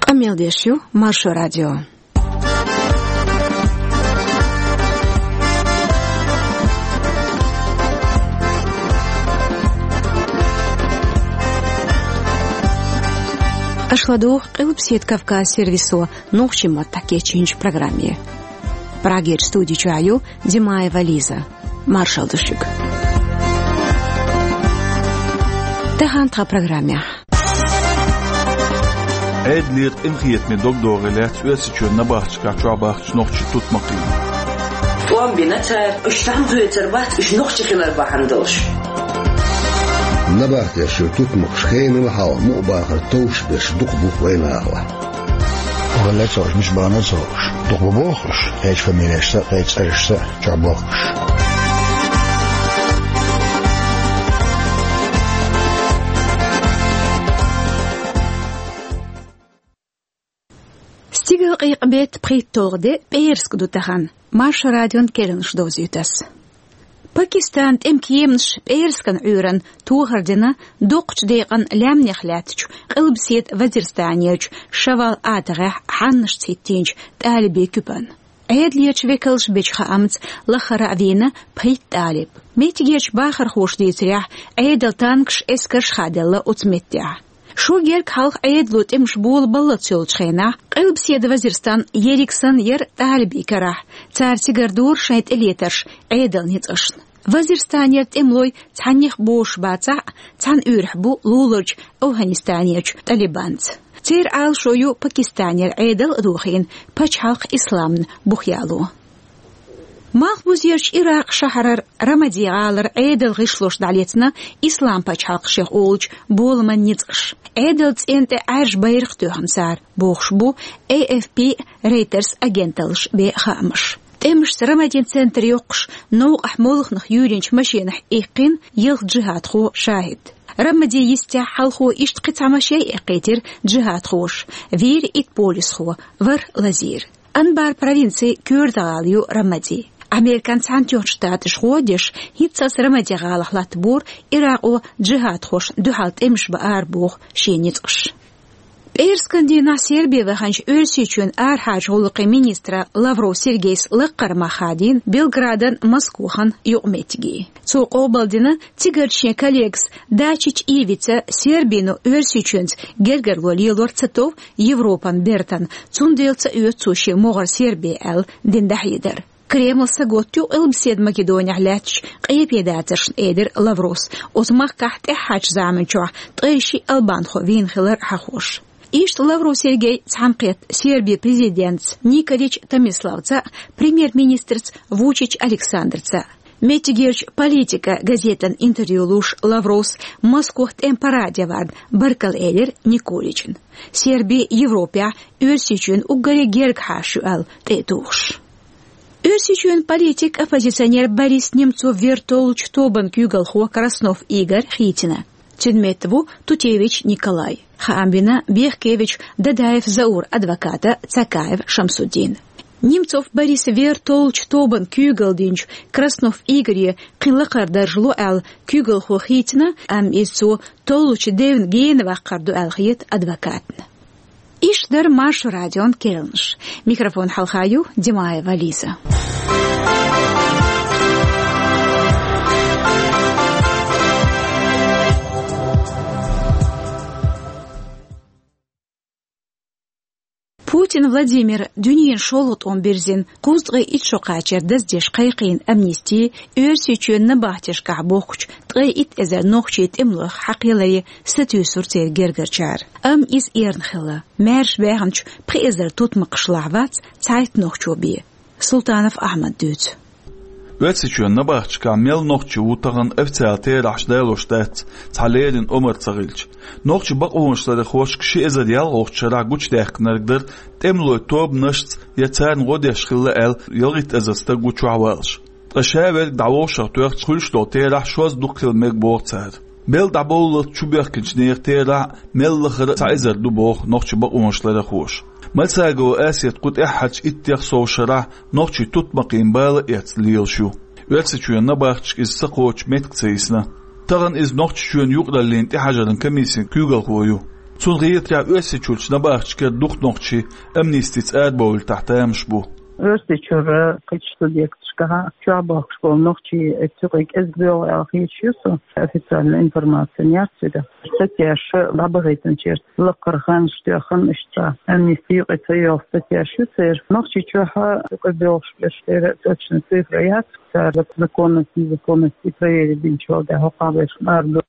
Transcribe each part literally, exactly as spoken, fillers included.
Къамел деш ю Маршо радио. Аша ладугӀу Къилбаседа Кавказ сервисо нохчийн маттахь кечйинчу программе. Прагерчу студи чохь ю Димаева Лиза. Маршалла ду шуьга. Тахана тхан программехь. Ӏедалера къинхетаме дог догӀий лаьцна Оьрсийчоьнан набахташкахь чохь бахча нохчийн тутмакхийн. ТӀом бина цара, уьш цхьаьна хоьцур бац, уьш нохчий хилар бахьана долуш. Набахтешчуьра тутмакхаш хенал хьалха мукъа бахар товш берш дукха бу вайн нахалахь. Валлай, ца хууш, мича баханал ца хууш. Дукха бу боху уьш, кхечу фамилешца, кхечу цӀерашца чохь бохкуш. Стигалкъекъа-беттан пхийтталгӀа де пӀераска ду тахана. Маршо радион керланаш довзуьйту ас. Пакистанан тӀеман кеманаш пӀераскан Ӏуьйранна тохар дина доккхачу декъан лаьмнех лаьттачу Къилбаседа Вазирстанерчу Шавал атагӀехь хьаннашца хӀиттийначу талибийн куьпана. Ӏедалерчу векалша бечу хаамца лахара а вийна пхийтта талиб. Меттигерчу бахархоша дийцарехь, Ӏедалан танкаш, эскарш а хаделла оцу меттехь. Шо гергга хьалха Ӏедало тӀемаш бола баллалц йолчу хенахь, Къилбаседа Вазирстан ерриг санна яра талибийн карахь, цара цигара дора шайн тӀелетарш Ӏедалан ницкъашна. Вазирстанера тӀемалой цхьаннех бозуш бацахь а, цхьана уьйрахь бу луларчу Афганистанерчу Талибанца. Церан Ӏалашо ю Пакистанера Ӏедал а дохийна, пачхьалкх исламна бух яло. Малхбузерчу Иракъан шахьарара Рамади гӀалара Ӏедалан гӀишлош дӀалецна Ислам пачхьалкх шех олучу боламан ницкъаша. Ӏедалан цӀенна тӀе Ӏаьржа байракх тоьхна цара, бохуш бу A F P, Reuters агенталлаша бен хаамаш. ТӀемашца Рамадин центр йоккхуш, новкъахь молханах юьйринчу машинахь иккхина ялх джихадхо шахӀид. Рамадин йистехь хьалхо иштта кхин цхьа машен а эккхийтира джихадхоша, вийра итт полисхо, ворхӀ лазийра. Анбар провинцин коьрта гӀала ю Рамади. Американ Цхьаьнатоьхначу Штаташа гӀо а деш, хӀинццалц Рамади гӀалахь латтабора Иракъо джихадхошна дуьхьал тӀемаш баар боху шен ницкъаш. ПӀераскан дийнахь Сербе ваханчу Оьрсийчоьнан арахьарчу гӀуллакхийн министра Лавров Сергейс лаккхара мах хадийна Белградан, Москвахан юкъаметтиге. Цо къобалдина цигара шен коллегас Дачич Ивица Сербино Оьрсийчоьнца гергарло лелор ца тов Европан бертан, цундела ца оьцу цо шен могӀар Сербе аьлла дина дӀахьедар. Кремль сагатдо Къилбаседа Македонехь лаьттачу къепедацаршна, элира Лавровс, оцу махкахь тӀаьххьарчу заманчохь ткъе шиъ албанхо вийна хилар хьахош. Иштта Лавров Сергей цхьаьнакхетта Сербин президентца Николич Томиславца а, премьер-министрца Вучич Александрца а. Меттигерчу «Политика» газетана интервью луш Лавровс Москвахь тӀеман параде варна баркалла элира Николична. Серби Европехь Оьрсийчоьнан уггаре герга хьаша ю аьлла тӀе а тухуш. Оьрсийчоьнан политик, оппозиционер Борис Немцов вер толлучу тобанан куьйгалхо Краснов Игорь хийцина. Цуьнан метта ву Тутевич Николай. Хаам бина Бехкевич Дадаев Заур адвоката Цакаев Шамсуддина. Немцов Борис вер толлучу тобанан куьйгалла динчу Краснов Игоре кхин лакхара дарж ло аьлла, куьйгалхо хийцина, амма иза цо толлучу девна гена ваккхар ду аьлла хета адвокатна. Иштта дара Маршо радион керланаш. Микрофон хьалха ю Димаева Лиза. Путин Владимира дуьненан шолгӀа тӀом бирзина кхузткъе итт шо кхачар даздеш кхайкхийна амнисти, Оьрсийчоьнан набахтешкахь бохкучу ткъе итт эзар нохчийн тӀемалойх хьакхеларе сатуьйсура церан гергарчара. Амма иза эрна хилла. Маьрша баьхначу пхи эзар тутмакхашлахь вац цхьайтта нохчо бен. Султанов Ахьмада дуьйцу. Оьрсийчоьнан набахташкахь мел нохчи ву тахана официалан терахьаш далош дац, цхьа леррина омра ца хилча. Нохчийн бакъонашларъярхошка ши эзар ялхолгӀачу шарахь гучудаьккхинарг дара тӀемалойн тобанашца я царна гӀо деш хилла аьлла ялхитта эзар стаг ву чохь валлаш. Ткъа ша верг дӀавовшах тоьхча, хуьлуш долу терахь шозза дукха хила мега боху цара. Белла дӀабовллалц чубоьхкинчу нехан терахь мел лахара цхьа эзар ду боху нохчийн бакъонашларъярхоша. Мальсагова Асета кху тӀаьххьарчу иттех сов шарахь нохчийн тутмакхийн бала эцна лелаш ю. Оьрсийчоьнан набахташка иза ца кхочу меттиг ца йисна. Тахана иза Нохчийчоьнан юкъараллин тӀехьажаран комиссин куьйгалхо ю. Цунна гӀетарехь, Оьрсийчуьрчу набахташкара дукха нохчий амнистица арабовлийтахь тамаш бу. Оьрсийчуьра кхечу субъекташкахь чохь бохкуш болу нохчий цу юкъе кӀезиг боьлху аьлла хеташ ю со, официальная информация яц цигахь. Статьяш дӀабахийтинчеран лакхара ханаш тоьхна, иштта амнисти юкъе ца йолу статьяш ю церан. Нохчийчохь юкъе боьлхуш берш, церан точно цифра яц, цара законность, незаконность проверить динчу вала дӀа хӀокху берш ара ду.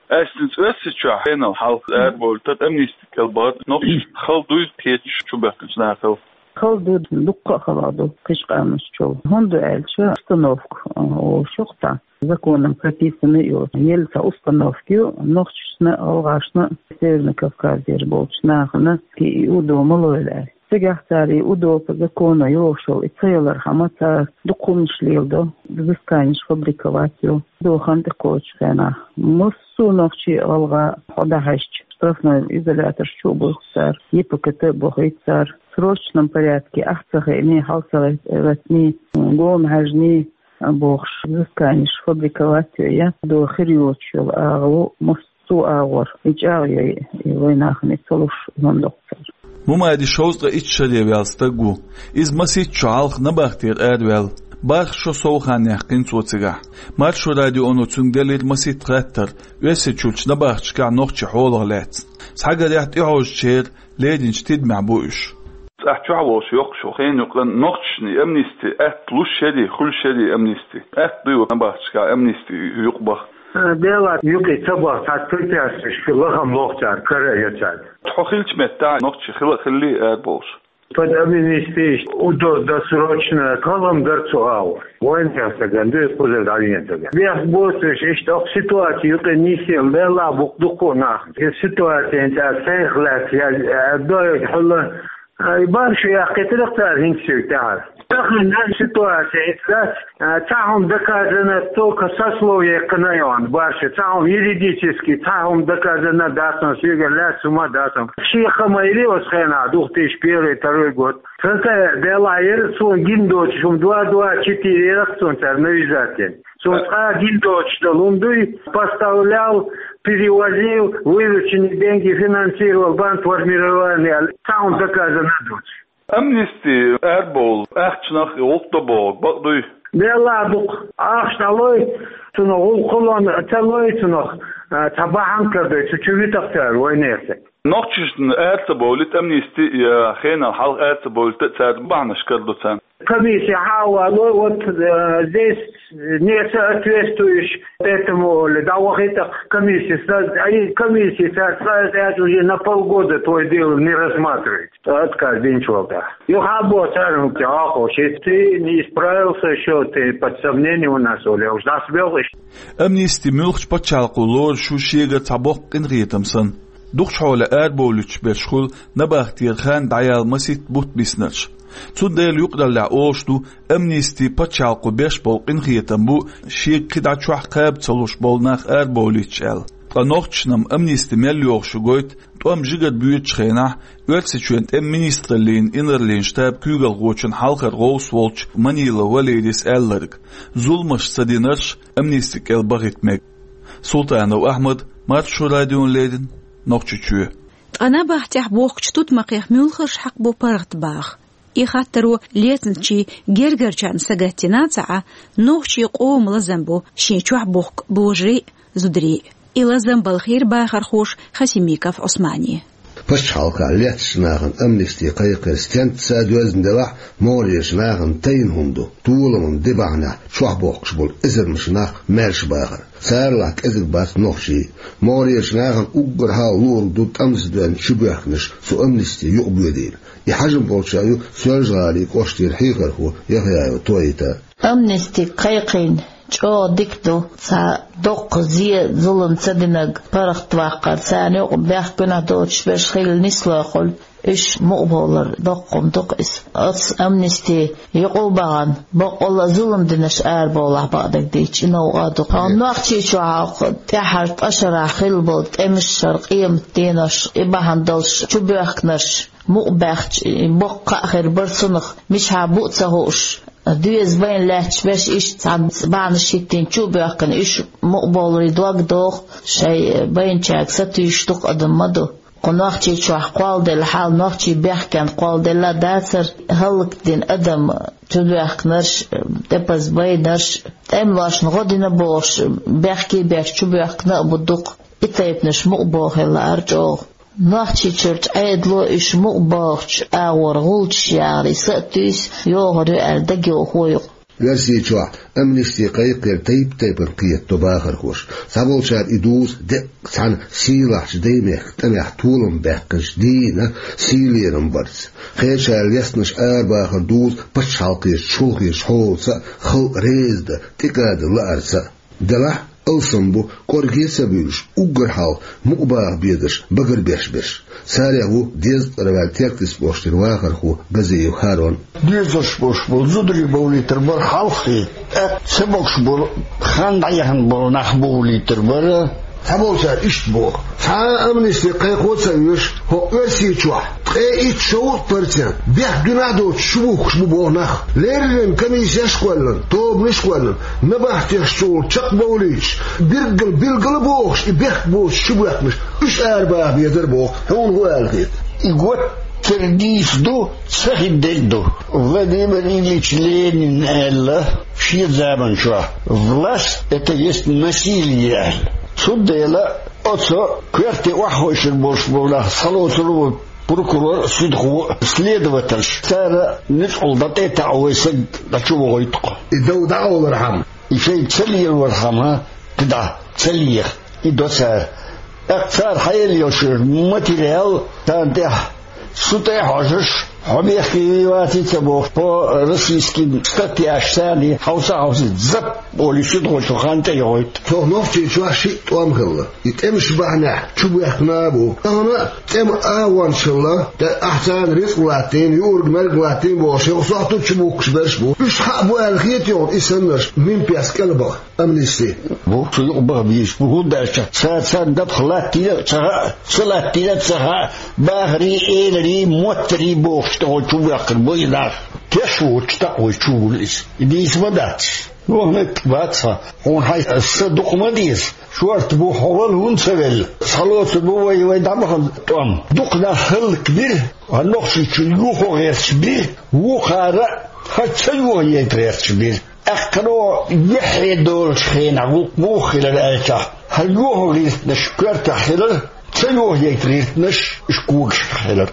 Аьшна Оьрсийчохь хенал хьалха арабовлийтар, амнисти кӀел бахар нохчашна хала дуй кхечу чубоьхкинчу нахал? Хала ду, дуккха а хала ду кхечу къаьмнашчул. ХӀунда аьлча установка, о, шух тӀа законом прописано ю. Елла цхьа установка ю нохчашна, гӀалгӀашна, Северный Кавказера болчу нахана, и УДО ма лойла аьлла. Цигахь цара и УДО по закону йогӀуш йолу и ца ялархьама, цара дукха хӀуманаш леладо, взысканеш фабриковать йо, УДО хан тӀекхочучу хенахь. Массо а нохчи а, гӀалгӀа а хьо дӀахьаьжча, штрафной изолятор чу а буьлху цара, ЕПК-то а бохуьйту цара. Срочном порядке, ахь ца хиъний, хьал ца гӀеттиний, гома хьаьжний, бохуш, взысканеш фабриковать йо, я до хир йоцуш йолу агӀо, массо а агӀор, и чӀагӀйо, и вайнахана ца луш, хӀун доккху цара. Мумади шовзткъе итт шаре ваьлла стаг ву. Иза масийтта шо хьалха набахтера араваьлла. БархӀ шо сов хан яьккхина цо цигахь. Маршо радионо цуьнга делира масийтта хаттар Оьрсийчуьрчу набахташкахь нохчийн хьолах лаьцна. Схьагарехь, тӀехьожучеран леринчу тидамехь бу уьш. Ахь чохь волуш йоккхуш йолу хенан юкъа нохчашна амнисти атта луш ярий, хуьлуш ярий амнисти? Атта дуй набахташкахь амнисти юкъа баха? Делахь юкъа ца баха, цхьа препятствиеш лахам лоху цара, кара а йо цара. Хьо хиллачу меттехь нохчи хила а хиллий арабовлуш? Под амнисти УДО досрочно кхалхам дара цу агӀор. Вайнехан стагана ду иза, кхузара дӀавеана стагана. Бехк боцуш, иштта окху ситуаци юкъа нисъелла, делахь бу-кх дуккха а нах. И ситуацина тӀехь сайх лаьцна, я, я, доьга хьула, а, и бархӀ шо яьккхийтира-кх цара хӀинца шуьга тӀаьхьара. Тахана ситуаци хӀинца дац, а, цхьа хӀума доказано, только сословие кхана йогӀу бархӀ шо, цхьа хӀума юридически, цхьа хӀума доказано дац, но соьгара лаьцна хӀума дац. Шен хама йири оцу хенахь, две тысячи первый, второй год. Сан ца делахь яра, суна гина доцуш хӀума, два два четыре яра-кх суна цара навязать йина. Суна цкъа гина доцуш долу хӀума дуй, поставлял, перевозил, вырученные деньги финансировал, бандформирование, цхьа хӀума доказано доцуш. Амнисти арабовла ахчанах гӀуллакх до бохург бакъ дуй? Делахь ду-кх, ахча дӀалой, цунах гӀуллакх а ца лой, цунах, а, цхьа бахьана карадой, цу чу витахь цара вайнехан стаг. Нохчашна ара ца бовлийта амнисти, я хенал хьалха ара ца бовлийта цара бахьанаш карадо царна. Комиссия хьа а валой, вот, э, здесь не соответствуешь этому, оли, дӀавахийта-кх комиссия, ай, комиссия цара цкъа а уже на полгода твоё дело не рассматривает. Отказ динчу вала тӀехь. Юха а боху цара, хӀума тӀе Ӏохуш, ты не исправился ещё, ты под сомнением у нас, оли, уж дӀасабевлла иштта. Амнисти муьлххачу пачхьалкхо лоруш ю шегара цхьа боккха къинхетам санна. Дукхачу хьолехь арабовлуьйтуш берш хуьлу набахтера хан дӀаяла масийтта бутт биснарш. Цундела юкъараллехь олуш ду, амнисти пачхьалкхо беш болу къинхетам бу, шега кхидӀа чохь кхаба ца луш болу нах арабовлуьйтуш аьлла. Ткъа нохчашна-м амнисти мел йогӀуш ю гойту, тӀом жигара боьдучу хенахь, Оьрсийчоьнан тӀеман министраллин инарлин штабан куьйгалхочун хьалхара гӀовс волчу Манилов Валерийс аьлларг: зуламаш ца динарш амнисти кӀел бахийта мега. Султанов Ахьмад, Маршо радиона леррина, Нохчийчоь. Ткъа набахтехь бохкучу тутмакхех муьлхарш хьакъ бу паргӀатбаха? И хаттаро лецначийн гергарчарна сагатдина ца Ӏа, нохчийн къоман лазам бу шен чохь бохку божарий а, зударий а. И лазам балхийра бахархоша Хасимиков Ӏусмане. Пачхьалкхехь лецначу нахана амнисти кхайкхар стенца а доьзна делахь, могӀарерчу нахана тайна хӀума ду, толаман де бахьанехь чохь бохкуш болу эзармаш нах маьрша бахар. Царалахь кӀезиг бац нохчий. МогӀарерчу нахана уггар хьалха луург ду тӀамца доьзна чубоьхкинарш цу амнисти юкъабоьдийла. И хьажам болчара ю Соьлжа-ГӀалин кӀоштара хьехархо Яхъяев Тоита. Амнисти кхайкхийна чӀогӀа дика ду, цхьа доккха зе, зулам ца динарг паргӀатваккхар, царна юкъа бехк-гуьнахь доцуш берш хилла нислой хуьлу, уьш мукъабовлар доккха хӀума ду-кх иза. Оцу амнисти юкъа а бахана, баккъалла а зулам динарш арабовлахь бакъдерг дийцича, и новкъа а ду-кх. Хьо Нохчийчохь хьалха тӀаьххьара ткъа шарахь хилла болу тӀемаш, шара къематан денош, и бахьана долуш чубоьхкинарш мукъабаьхча, и боккха кхаъ хир бара цунах, мичахьа бу а ца хууш, доьза байна лаьтташ берш иштта цхьана бахьанаш хӀиттийна чу а боьхкина, уьш мукъабовларе дог доху, шайн байначаьрга сатуьйсуш дукха адам ма ду. Кху Нохчийчохь кхолладелла хьал нохчий бехкенна кхолладелла дацара, хӀаллакдина адам чубоьхкинарш, тӀепаза байнарш, тӀемалошна гӀо дина бохуш, бехке беш чубоьхкина а бу дукха. И тайпанаш мукъа бохийла лаара чӀогӀа. Нохчийчуьрчу Ӏедало уьш мукъа бохучу агӀор гӀулчаш яхарий са а туьйсу, йохур ю аьлла дагайохо ю-кх. Оьрсийчохь амнисти кхайкхар тайп-тайпана кхетадо бахархоша. Цхьаболчара и дузу деккъа цхьана сийлахьчу даймехкан тӀамехь толам баьккхинчу дийнан сий лерам барца. Кхечара лестинарш арабахар дузу пачхьалкхерчу чолхечу хьолаца а, халкъ реза дан, тӀекӀадан лаарца а. Делахь а алсам бу, кӀорге а ца буьйлуш, уггар хьалха мукъа баха безарш багарбеш берш. Царех ву дезткъа тӀера ваьлла Теркйист кӀоштара вахархо Газиев ХӀарон. Дезаш болуш болу зударий бовлийтар бара хьалххе, тӀаккха ца могуш болу, хан дӀаяхна болу нах бовлийтар бара. Цхьаболчара иштта боху: цхьа а амнисти кхайкхо а ца оьшу, хӀокху Оьрсийчохь ткъе итт-шовзткъа процент бехк дуьненна доцуш чубухкуш бу боху нах. Леррина комиссеш а кхоьллина, тобанаш а кхоьллина, набахтешца чакхбовлуьйтуш, билггал, билггал а бохуш, и бехк боцуш чубоьхкинарш, уьш арабаха безара боху, хьуна хӀун аьлла хета? И гуттар а нийса ду, ца хин дерг а ду. Владимир Ильич Ленина аьлла шен заманчохь: «Власть — это есть насилие», — аьлла. Цундела оцу коьрте охьахевшина болуш болу нах схьалоцур ву прокурор, судхо, следовательш. Цара нуьцкъала дӀатӀе а таӀо, вай саг дӀа чу вохуьйту-кх. И дов дӀакъовлархьама, и шайна ца лелорхьама, кхидӀа ца леха, и до цара. ТӀаккха цара хьаелла йолуш материал, царна тӀехь, цу тӀе а хьожуш, хьо бехке вий, ваций ца бохуш, по российским статьяш царний хьовса а хьовсий, зап олий, судхочо хан тӀе а йохуьйту. Цо Нохчийчохь шиъ тӀом хилла. И тӀемаш бахьанехь чубоьхкина а бу. Тахана а тӀеман агӀончалла, тӀе ахь царна рицкъ латтийна, юург-мерг латтийна бохуш, хӀокху сохьтуьту чубухкуш берш а бу. Уьш хьаъ бу аьлла хетий хьуна и саннарш, минпец кӀелбаха, амнисти? Бу, цу юкъа баха безаш бу, хӀунда аьлча цара царна дапха латтийна а ца хаьа, ца латтийна а ца хаьа, бахарий, эларий, моттарий бохуш тӀехула чубоьхкина бу и нах. Теш воцуш таӀа вай чу вуьллу иза. И дийца ма дац. Юха меттиг бац хьан. Хьуна хьайн са дукха ма деза. Шорта бу, хьо вала хӀунда ца велла? Схьалоцур бу вай, вай дӀабахана тӀом. Дукха нах хӀаллакбира, хьан Нохчийчуьра юхо гӀерташ бира, вукхара а хьан ца йохаейта гӀерташ бира. Аьккхано юьххье долучу хенахь гӀуллакх муха хилар аьлчахь, хьан йохо гӀиртинарш коьртехь хилар, ца йохаейта гӀиртинарш уьш когашкахь хилар.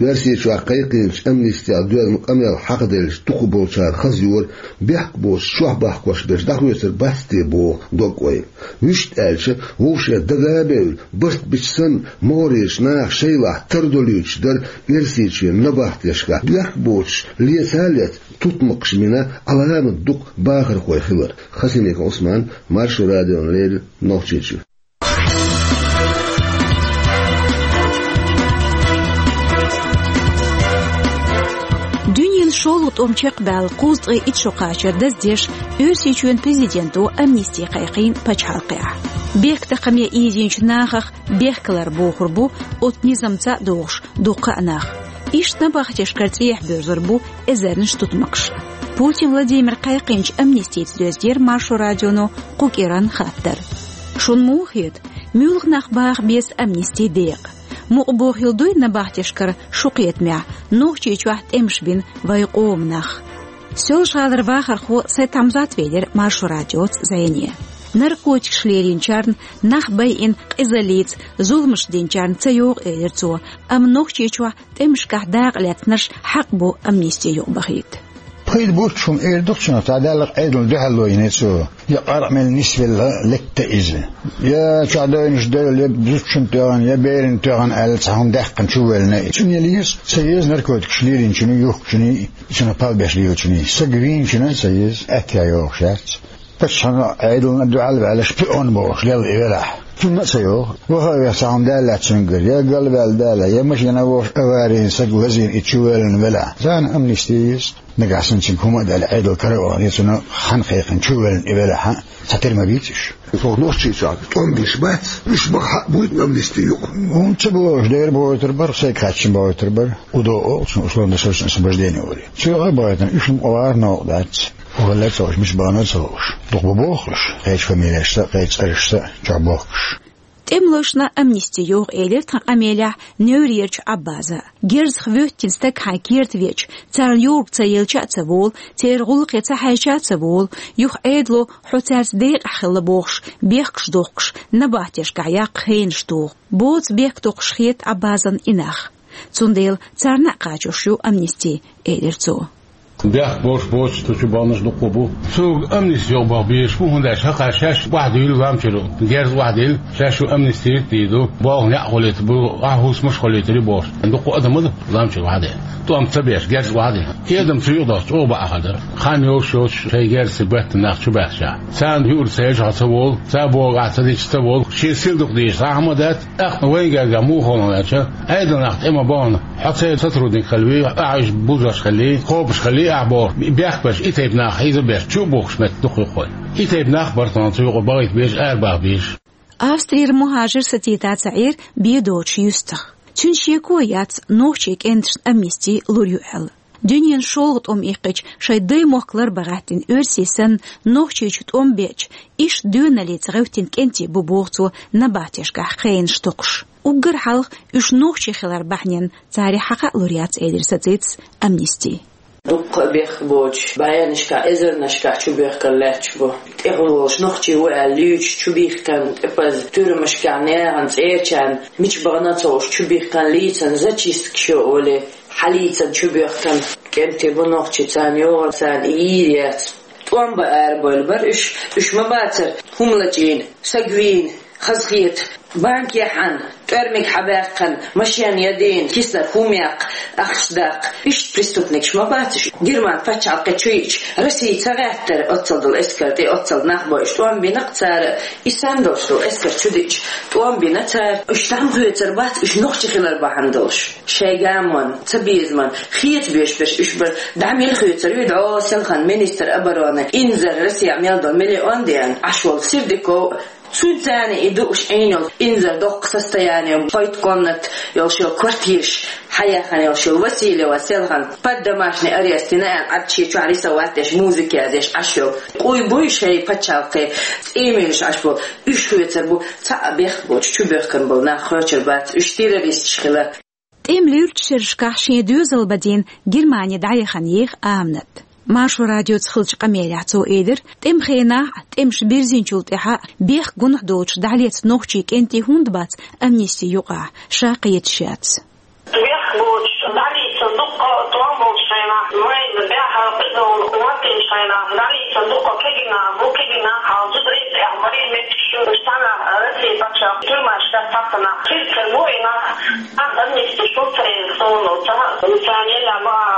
Оьрсийчохь кхайкхийначу амнистех доьзна къамел хьакхаделлачу дукхахболчара хаза йора, бехк боцуш чохь бахкош берш дӀахоьцур бац те боху дог-ойла. Вуьшта аьлча, вовшех дага а бевлла, барт бича санна, могӀарерчу наха шайлахь тардо луьйчуш дара Оьрсийчоьнан набахтешкахь бехк боцуш леца а лецна, тутмакхаш бина, Ӏаламат дукха бахархой хилар. Хасимиков Ӏусман, Маршо радиона леррина, Нохчийчуьра. Дуьненан шолгӀа тӀом чекхбаьлла кхузткъе итт шо кхачар даздеш, Оьрсийчоьнан президенто амнисти кхайкхийна пачхьалкхехь. Бехктакхаме ийзинчу нахах бехкалар бохур бу оцу низамца а догӀуш дуккха а нах. Иштта набахтешкара цӀехьа боьрзур бу эзарнаш тутмакхаш. Путин Владимира кхайкхийначу амнистица доьзна дара Маршо радионо кху кӀиранна хаттар. Шуна муха хета, муьлха нах баха беза амнисти декъа? Мукъа бохийла дуй набахтешкара шун кхетамехь Нохчийчохь тӀемаш бина вайн къоман нах? Соьлжа-ГӀалара вахархо Сайд-Хьамзат велира Маршо радиоца зӀене. Наркотикаш лелийначарна, нах байина къизаллица зуламаш динчарна ца йогӀу, элира цо, амма Нохчийчохь тӀемашкахь дакъа лаьцнарш хьакъ бу амнисти юкъабахийта. Пайда буьйцуш хӀума эр ду-кх цунах, цхьа Далла Ӏедална дуьхьал лойина цо, я къаркъа мел нисвелла летта иза, я чохь девнаш девлла, я зудчунна тоьхна, я берана тоьхна аьлла, цхьа хӀума даьккхина чувеллина и. Цунна еза, ца еза наркотикаш лелийначунний, юхкучунний, цунах палбеш лелачунний. Саг вийначунна а ца еза, аьттехьа йогӀуш яц. Паччахьна, Ӏедална дуьхьал а ваьлла, шпион бохуш лелла и велахь, цунна а ца йогӀу. Ваха а веха, цхьа хӀума даьллац цуьнгара, я галваьлла Дала, я машина вовшах аварийна саг лазийна и чувеллина велахь, царна амнисти еза. Нагахь санна цуьнга хӀума а даьлла, Ӏедал кара а вахана, я цунна хан кхайкхина чувеллина и велахь а, цхьатера ма бийца уьш. Цо Нохчийчохь тӀом беш бац, уьш баха хьакъ буй-те амнисти юкъа? ХӀунда ца бохуш дера, бохуьйтур бара, сайга хаьттича бохуьйтур бара. УДО олу цунах, условно-досрочное освобождение олий. Цо а бахийтина, уьш мукъа вахар новкъа дац. Валлай ца хууш, мича бахана а ца хууш, дукха бу бохуш, кхечу фамилешца а, кхечу цӀерашца а чохь бохкуш. ТӀемалошна амнисти йогӀу, элира тхан къамелехь Неврерчу Ӏаббаза. Герзах воьттина стаг хьайн керта веача, царна юург ца елча а ца волу, церан гӀуллакхе ца хьаьжча а ца волу, юха Ӏедало хьо цаьрца декъахь хилла бохуш, бехкаш дохкуш, набахтешкахь яккха хенаш туху. Боцу бехк доккхуш хета Ӏаббазан и нах. Цундела царна а кхачош ю амнисти, элира цо. Бехк болуш боцуш цу чу баханарш дуккха бу. Цуьнга амнисти йогӀу баха безаш бу, хӀунда аьлча хӀокхара шаьш охьадуьйлу лам чуьра, герз охьадуьйлу, шаьш шу амнисти дийр ду, болх некъ хуьлуьйтур бу, ахь хӀусамаш хуьлуьйтур ю бохуш. Дуккха адам ду лам чуьра охьадеана. ТӀом ца беш, герз охьадеана. И адам цу юкъа дохча чӀогӀа бакъахьа дара. Хан йолуш йоцуш шайн герзаца беттан нах чу баьхча, царна юург ца елча хьо ца волу, цара бохург ахь ца дича ца волу, шен сил дукха дийша хӀума дац, тӀаккха вайн гергахь муха хилла аьлча, Ӏедалан нах тӀема бахана, хьо церан сотрудник хилла вий, ахь уьш бузош хилла, кхобуш хилла ахь бохуш, бехк беш, и тайпа нах хьийза беш, чу а бухкуш метта дукха ю-кх вайн. И тайпа нах бара тхуна цу юкъа бахийта безаш, арабаха безаш. Австрера мухӀажир сацийта ца Ӏийра бен доцучу юьстах. Цуьнан шеко яц нохчийн кӀенташна амнисти лур ю аьлла. Дуьненан шолгӀа тӀом иккхича, шайн даймохк ларбан гӀаьттина оьрсий санна, Нохчийчу тӀом беача, иштта доьналлица гӀевттина кӀентий бу, боху цо, набахтешкахь хенаш токхуш. Уггар хьалха уьш нохчий хилар бахьанина царах хьакха а лур яц, элира сацийта ца амнисти. Дуккха а бехк боцуш, бӀеннашкахь, эзарнашкахь чубоьхкар лаьтташ бу. ТӀехула волуш нохчий ву аьлла луьйчу чубихкарна тӀепаза туьрмашкахь нахана, цӀерачарна, мича бахана а ца хууш чубихкарна лийцина зачисткаш йо олий, хьалийцина чубоьхкарна кӀентий бу нохчий, царна йогӀу, царна и йийр яц. ТӀом бан арабевлла бара уьш, уьш ма бацара хӀума лачийна, саг вийна, хазахета, банке хьаьна, тӀоьрмиг хьабаьккхина, машен ядийна, киснара хӀума яккха, ахча даккха. Иштта преступникаш ма бац уьш. Герман пачхьалкхе чу йиъча, Россия ца гӀеттара оццул долу эскар тӀе, оццул нах бо уьш. ТӀом бина-кх цара, и санна долуш долу эскар чу диъча, тӀом бина цара. Уьш дӀа ма хоьцур бац, уьш нохчий хилар бахьана долуш. Шайн гамонна, цабезамна, хеца беш берш уьш бара. ДӀа мила хоьцур ю, дӀо селхана министр обороны Инзар, Россехь мел долу миллион деана Ӏаш волу Сердюков, цуьнца царна и дууш Ӏийна йолу Инзар, доккха состояние, пхийтта комната йолуш йолу квартираш хьаяьхна йолуш йолу Васильева, селхана под домашний арест йина аьлла, Ӏад шен чохь рисовать деш, музыка язъеш Ӏаш йолу. Къуй буй шайн пачхьалкхе, цӀийминаш Ӏаш бу, уьш хоьцур бу, цхьа а бехк боцуш чубоьхкина болу нах хоьцур бац, уьш террористаш хилар. ТӀеман луьрачу шерашкахь шен доьзал бан дийна Германи дӀаяхана еха Аминат. Маршо радиоца хиллачу къамелехь цо элира, тӀеман хенахь а, тӀемаш бирзинчул тӀаьхьа а бехк, гунахь доцуш дӀалецна нохчийн кӀентий хӀунда бац амнисти юкъахь, ша кхеташ яц. Бехк боцуш, дӀалецна дуккха тӀом болчу хенахь, вайна баьхна къизалла хӀоттийначу хенахь, дӀалецна дуккха кегий нах бу, кегий нах хьалха зударий тӀехь барий меттигаш ю, уьш цхьана Россия пачхьалкхан туьрмашкахь цхьацца нах. Хир ца бу и нах, нах амнисти шу ца елла суна, ца, ца елла ма-,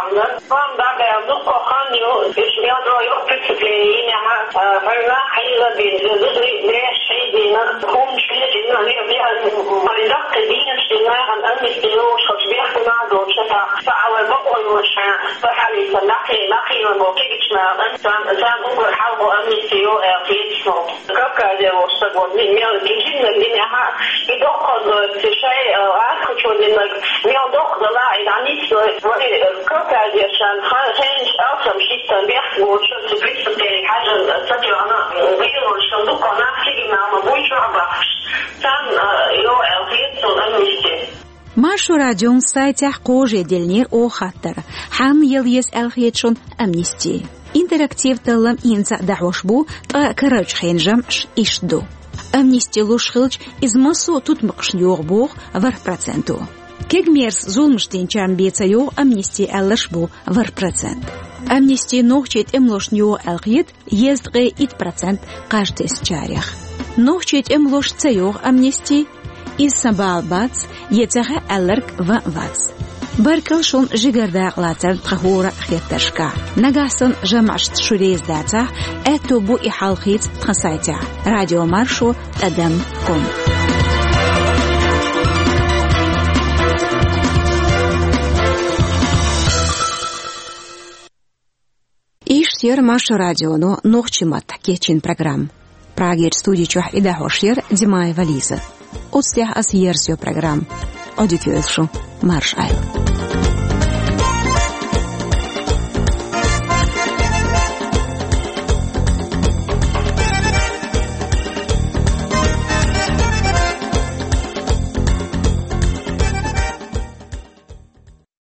Ам дагахь дуккха хан ю, уьш мел ду йо преступлени йинехь, а, хьуьнах хьийза бина, зударий беш хьийзийна, хӀуманаш хьийзийна, хьуьнах бехк, хьуьнах даккхий дийнаш дина, нахана амнисти йолуш, хӀокху бехк нах долчу сатах, ца а вай бакъо йолуш хьан, ца хьалийца, нахе, нахе йолу кегийчу нахана, царна, царна уггар хьалха амнисти йо аьлла хета суна. Кавказе волуш стаг, вот, ми-, мел гижиннарг динехь а, и доккха, э, шай, э, гӀазкхичо динарг, мел доккха дала, и дӀанисдой, вай, э, Кавказерчарна ха-, хенаш алсам шийтта бехк боцуш, цу преступлени хьажа, э, ца тоьхна, э, гӀелонаш дуккха нах кегий нах ма буй чохь бахкаш. Царна, э, йо аьлла хета суна амнисти. Маршо радион сайтехь кхаже деллинера оха хаттар: хьанна яла еза аьлла хета шуна амнисти? Интерактив таллам хӀинца а дӀахьош бу, ткъа карарчу хенан жамӀаш иштта ду. Амнисти луш хилча, иза массо а тутмакхашна йогӀу боху ворхӀ проценто. Кегамерса зуламаш динчарна бен ца йогӀу амнисти аьлларш бу ворхӀ процент. Амнисти нохчийн тӀемалошна йогӀу аьлла хета езткъе итт процент кхаж тесначарех. Нохчийн тӀемалошна ца йогӀу амнисти, иза сан бала бац, я ца хаьа аьлларг ван а вац. Баркалла шуна жигара дакъалацарна тхан хӀора а хеттаршкахь. Нагахь санна жамӀашца шу реза дацахь, аьтто бу и хьалхийца тхан сайтехь: радиомаршо тӀадам ком. Иштта яра Маршо радионо нохчийн маттахь кечйина программа. Прагерчу студи чохь и дӀахьош яра Димаева Лиза. Оцу тӀехь аса ерзайо программа. Ӏодика йойла шу, марша Ӏойла.